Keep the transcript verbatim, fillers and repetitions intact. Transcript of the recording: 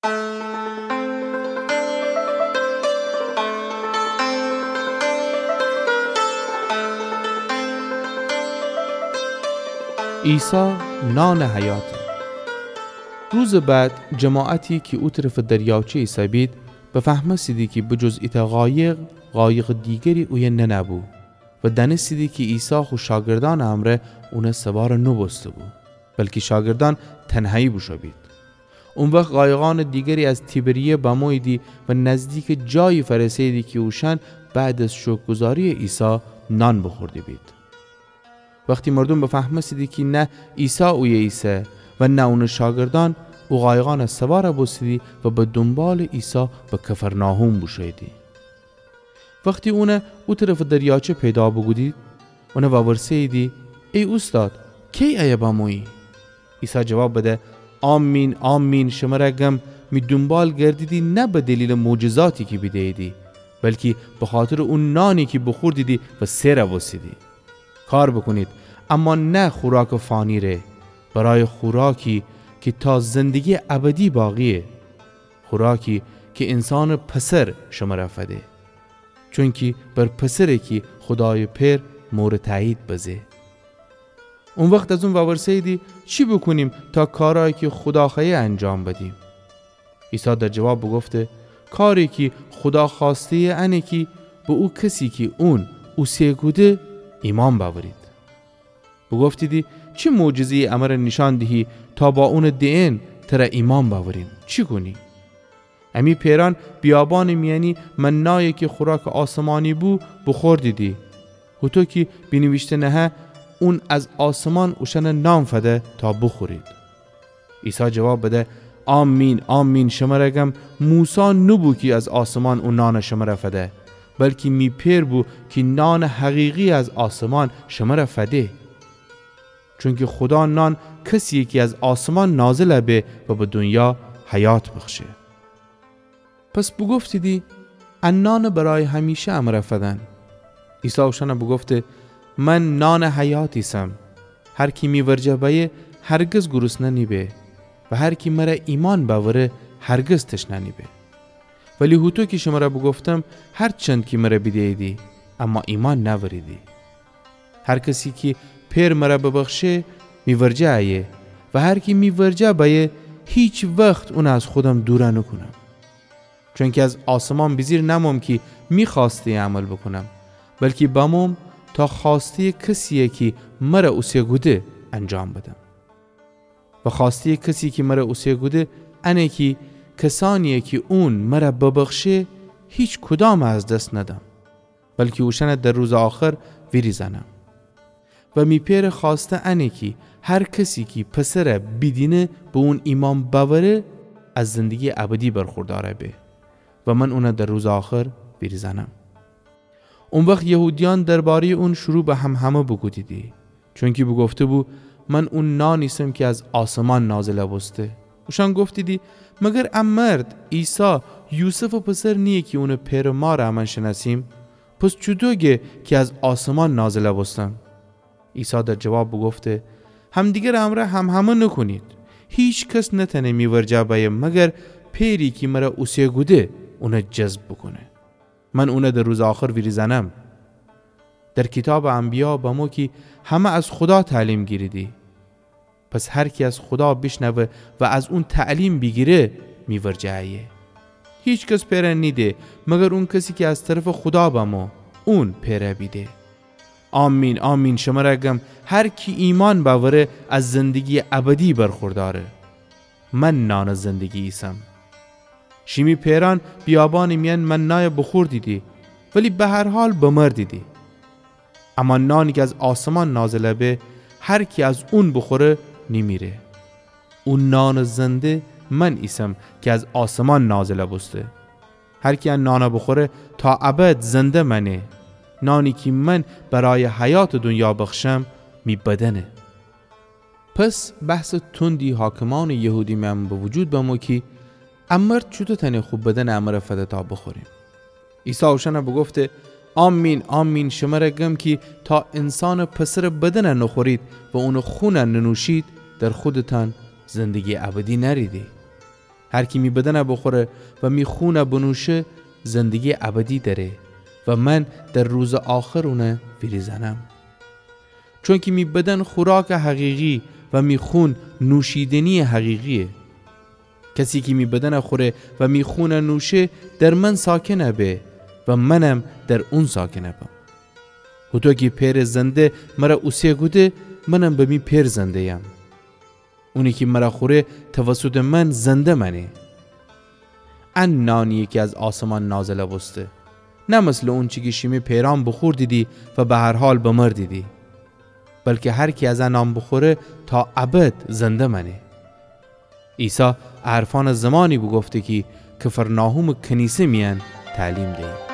عیسی نانٚ حیاته. روزٚ بعد جماعتی کی او طرفٚ دریاچه ایسه‌بید، بفهمستیدی کی به جز ایتأ قایق، قایقٚ دیگری اویه ننه‌بو و دأنستیدی کی عیسی خو شاگردأنٚ امرأ اونٚ سوار نوبوسته‌بو، بلکی شاگردأن تنهایی بوشو بید. او وخت قایقأنٚ دیگری از تیبریه بموییدی و نزدیکٚ جایی فأرسه‌ییدی کی اوشأن بعد از شکرگزاریٚ عیسی نان بوخورده بید. وختی مردوم بفهمستیدی کی نه عیسی اویه ایسه و نه اونٚ شاگردأن، او قایقأن سوار بوستیدی و به دونبالٚ عیسی به کفرناحوم بوشوییدی. وختی اون او طرفٚ دریاچه پیدا بوکودید، اون وورسه‌ییدی: ای اوستاد، کی ایه بمویی؟ عیسی جواب بده: آمین، آمین، شمر گم، می دونبال گردیدی نه به دلیلٚ معجزاتی کی بیده‌ییدی، بلکی بخاطرٚ او نانی کی بوخوردیدی و سئر بوستیدی. کار بوکونید، اما نه خوراکٚ فانی‌ره، برای خوراکی کی تا زندگییٚ ابدی باقییه، خوراکی کی انسانٚ پسر شمر فده. چونکی بر پسره کی خودایٚ پئر مورٚ تأیید بزه. او وخت از اون وورسه‌ییدی: چی بوکونیم تا کارأیی کی خودا خوأیه انجام بدیم؟ عیسی در جواب بوگفته: کاری کی خودا خوأسته‌یه انه کی به او کسی کی اون اوسه کوده ایمأن بأورید. بوگفتیدی: چی معجزه‌یی امر نیشأن دیهی تا با اونٚ دئن تر ایمأن بأوریم؟ چی کونی؟ امی پئرأن بیابانٚ میأنی منایی کی خوراکٚ آسمانی بو، بوخوردیدی. هوطو کی بینیویشته نهه: اون از آسمان اوشأن نان فده تا بوخورید. عیسی جواب بده: آمین، آمین، شمر گم، موسی نوبو کی از آسمان او نان شمر فده، بلکی می پئر بو کی نانٚ حقیقی از آسمان شمر فده. چونکی خودا نان کسییه کی از آسمان نازل به و به دونیا حیات بخشه. پس بوگفتیدی: ا نانٚ برای همیشه امر فدن. عیسی اوشأن بوگفته: من نانٚ حیات ایسم. هر کی می ورجه بأیه، هرگز گرسنه نیبه و هر کی مر ایمأن بأوره، هرگز تشنه نیبه. ولی هوطو کی شمر بوگفتم، هرچند کی مر بیده‌ییدی، اما ایمأن نأوریدی. هر کسی کی پئر مر ببخشه، می ورجه ایه و هر کی می ورجه بأیه، هیچ وخت اون از خودم دور نوکونم. چونکی از آسمان بیجیر نموم کی می خوأسته‌یٚ عمل بوکونم، بلکی بموم تا خوأسته‌یٚ کسیی کی مر اوسه کوده انجام بدم. و خوأسته‌یٚ کسی کی مر اوسه کوده انه کی کسأنیی کی اون مر ببخشه، هیچکدام از دس ندم، بلکی اوشأن در روزٚ آخر ویریزأنم. و می پئرٚ خوأسته انه کی هر کسی کی پسر بیدینه به اون ایمأن بأوره، از زندگییٚ ابدی برخوردأر به و من اون در روزٚ آخر ویریزأنم. او وخت یهودیأن درباره‌یٚ اون شروع به همهمه بوکودیدی، چونکی بوگفته‌بو: من او نان ایسم کی از آسمان نازل بوسته. اوشأن گفتیدی: مگر ا مرد، عیسی، یوسفٚ پسر نییه کی اونٚ پئرٚ مارٚ امأن شنأسیم؟ پس چوطو گه کی از آسمان نازل بوستم؟ عیسی در جواب بوگفته: همدیگرٚ امرأ همهمه نوکونید. هیکس نتأنه می ورجه بأیه مگر پئری کی مر اوسه کوده اون جذب بوکونه. من اون در روزٚ آخر ویریزأنم. در کیتابٚ انبیا بمو کی همه از خودا تعلیم گیریدی. پس هر کی از خودا بیشنوه و از اون تعلیم بیگیره، می ورجه ایه. هیکس پئر نیده مگر او کسی کی از طرفٚ خودا بمو، اون پئر بیده. آمین، آمین، شمر گم، هر کی ایمأن بأوره، از زندگییٚ ابدی برخوردأره. من نانٚ زندگی ایسم. شیمی پئرأن بیابانٚ میأن منای بوخوردیدی، ولی به هر حال بمردیدی. اما نانی کی از آسمان نازل به، هر کی از اون بوخوره، نیمیره. او نانٚ زنده من ایسم کی از آسمان نازل بوسته. هر کی ا نان بوخوره، تا ابد زنده مأنه. نانی کی من برای حیاتٚ دونیا بخشم، می بدنه. پس بحثٚ تندی حاکمأنٚ یهودی میأن به وجود بمو کی ا مرد چوطو تأنه خو بدنٚ امر فده تا بوخوریم؟ عیسی اوشأن بوگفته: آمین، آمین، شمر گم کی تا انسانٚ پسرٚ بدن نوخورید و اونٚ خون ننوشید، در خودتأن زندگییٚ ابدی نأریدی. هر کی می بدن بوخوره و می خون بنوشه، زندگی ابدی دأره و من در روز آخر اون ویریزأنم. چونکی می بدن خوراک حقیقی و می خون نوشیدنی حقیقیه. کسی کی می بدن خوره و می خون نوشه، در من ساکن به و منم در اون ساکن بم. هوطو کی پئر زنده مر اوسه کوده، منم به می پئر زنده‌یم. اونی کی مر خوره توسط من زنده مأنه. ان نانییه کی از آسمان نازل بوسته، نه مثلٚ اونچی کی شیمی پئرأن بوخوردیدی و به هر حال بمردیدی، بلکی هر کی از ا نان بوخوره تا ابد زنده مأنه. عیسی ا حرفأن زمانی بوگفته کی کفرناحومٚ کنیسه میأن تعلیم دیی.